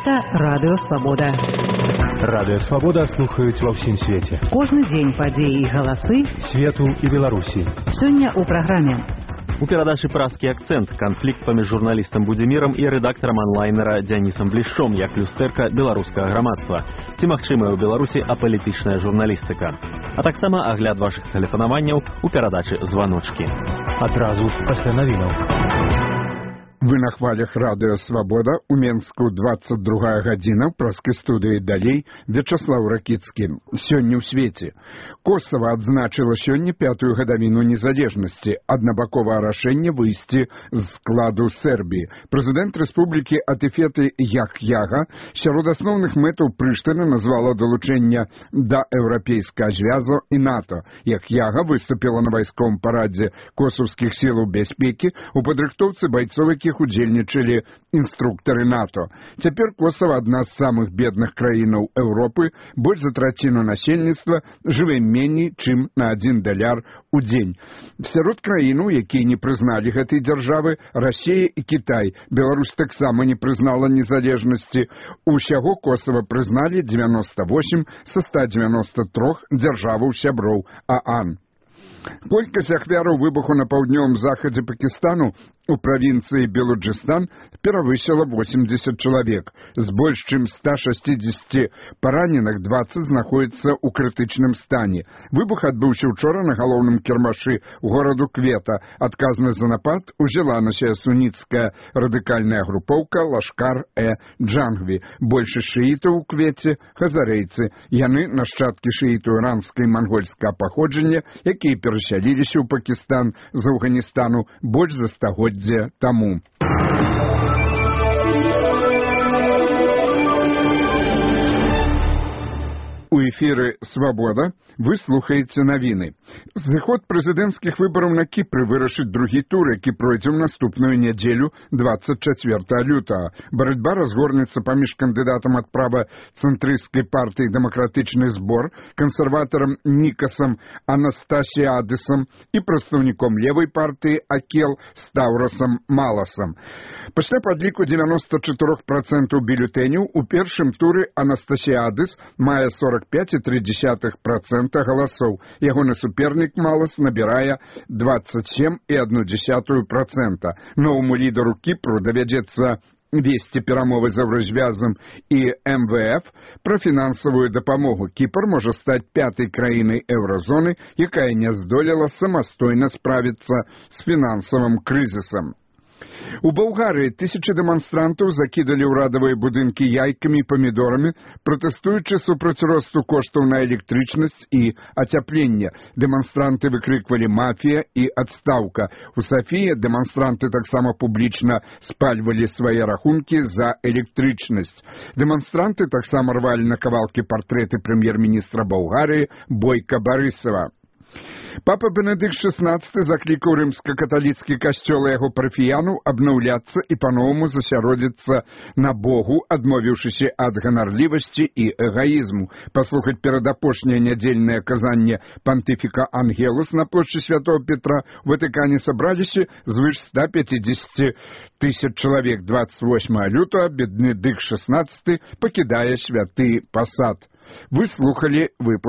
Гэта Радыё Свабода. Радыё Свабода слухаюць ва ўсім свеце. Кожны дзень падзеі і галасы свету і Беларусі. Сёння ў праграме. У перадачы «Празкі акцэнт» канфлікт паміж журналістам Будзімірам і рэдактарам онлайнера Дзянісам Блішчом як люстэрка беларускага грамадства. Ці магчымая ў Беларусі апалітычная журналістыка. А таксама агляд вашых тэлефанаванняў у перадачы «Званочкі». Адразу пасля навінаў. Вы на хвалях Радыё Свабода, у Менску 22 гадзіна, праскай студыі далей, Вячаслаў Ракіцкі. Сёння ў свеце. Косава адзначыла сёння 5-ю гадавіну незалежнасці, аднабаковае рашэнне выйсці з складу Сербіі. Прэзідэнт рэспублікі Атыфеты Яхьяга сярод асноўных мэтаў Прыштыны назвала далучэнне да еўрапейскага звязу і НАТО. Яхьяга выступіла на вайсковым парадзе косаўскіх сілаў бяспекі у падрыхтоўцы байцоў, якіх удзельнічалі інструктары НАТО. Цяпер Косава адна з самых бедных краінаў Еўропы, больш за траціну насельніцтва жыве меней, чым на $1 у дзень. Сярод краінаў, якія не прызналі гэтай дзяржавы, Расія і Кітай. Беларусь таксама не прызнала незалежнасці. Усяго Косава прызналі 98 са 193 дзяржаваў-сяброў ААН. Колькасць ахвяраў выбуху на паўднёвым захадзе Пакістану у правінцыі Белуджыстан перавысіла 80 чалавек. З больш чым 160 параненых 20 знаходзяцца ў крытычным стане. Выбух адбыўся учора на галоўным кірмашы гораду Квета. Адказнасць за напад узяла на сябе суніцкая радыкальная групоўка Лашкар-э-Джангві. Большасць шыітаў у Квеце хазарэйцы. Яны нашчадкі шыітаў іранскай і мангольскага паходжання, якія перасяліліся ў Пакістан з Афганістану больш за стагоддзя таму. У эфіры «Свабода» вы слухаеце навіны. Зыход прэзідэнцкіх выбараў на Кіпры вырашыць другі тур, які пройдзе ў наступную нядзелю 24 лютага. Барацьба разгорнецца паміж кандыдатам ад правацэнтрысцкай партыі «Дэмакратычны збор», кансерватарам Нікасам Анастасіадысам і прадстаўніком левай партыі Акел Стаўрасам Маласам. Пасля падліку 94% бюлетэняў у першым туры Анастасіадыс мае 45,3% галасоў. Ягоны супернік Малас набірае 27,1%. Новаму лідару Кіпру давядзецца весці перамовы з Еўразвязам і МВФ пра фінансавую дапамогу. Кіпр можа стаць 5-й краінай еўразоны, якая не здолела самастойна справіцца з фінансавым крызісам. У Балгарыі тысячы дэманстрантаў закідалі ўрадавыя будынкі яйкамі і памідорамі, пратэстуючы супраць росту коштаў на электрычнасць і ацяпленне. Дэманстранты выкрыквалі «мафія» і «адстаўка». У Сафіі дэманстранты таксама публічна спальвалі свае рахункі за электрычнасць. Дэманстранты таксама рвалі на кавалкі партрэты прэм'ер-міністра Балгарыі Бойка Барысава. Папа Бенедыкт XVI заклікаў рымска-каталіцкі касцёл і яго парафіянаў абнаўляцца і па-новаму засяродзіцца на Богу, адмовіўшыся ад ганарлівасці і эгаізму. Паслухаць перадапошняе нядзельнае казанне пантыфіка Ангелус на плошчы Святого Петра у Ватыкане сабраліся звыш 150 тысяч чалавек. 28 лютага Бенедыкт XVI пакідае святы пасад. Вы слухалі выпуск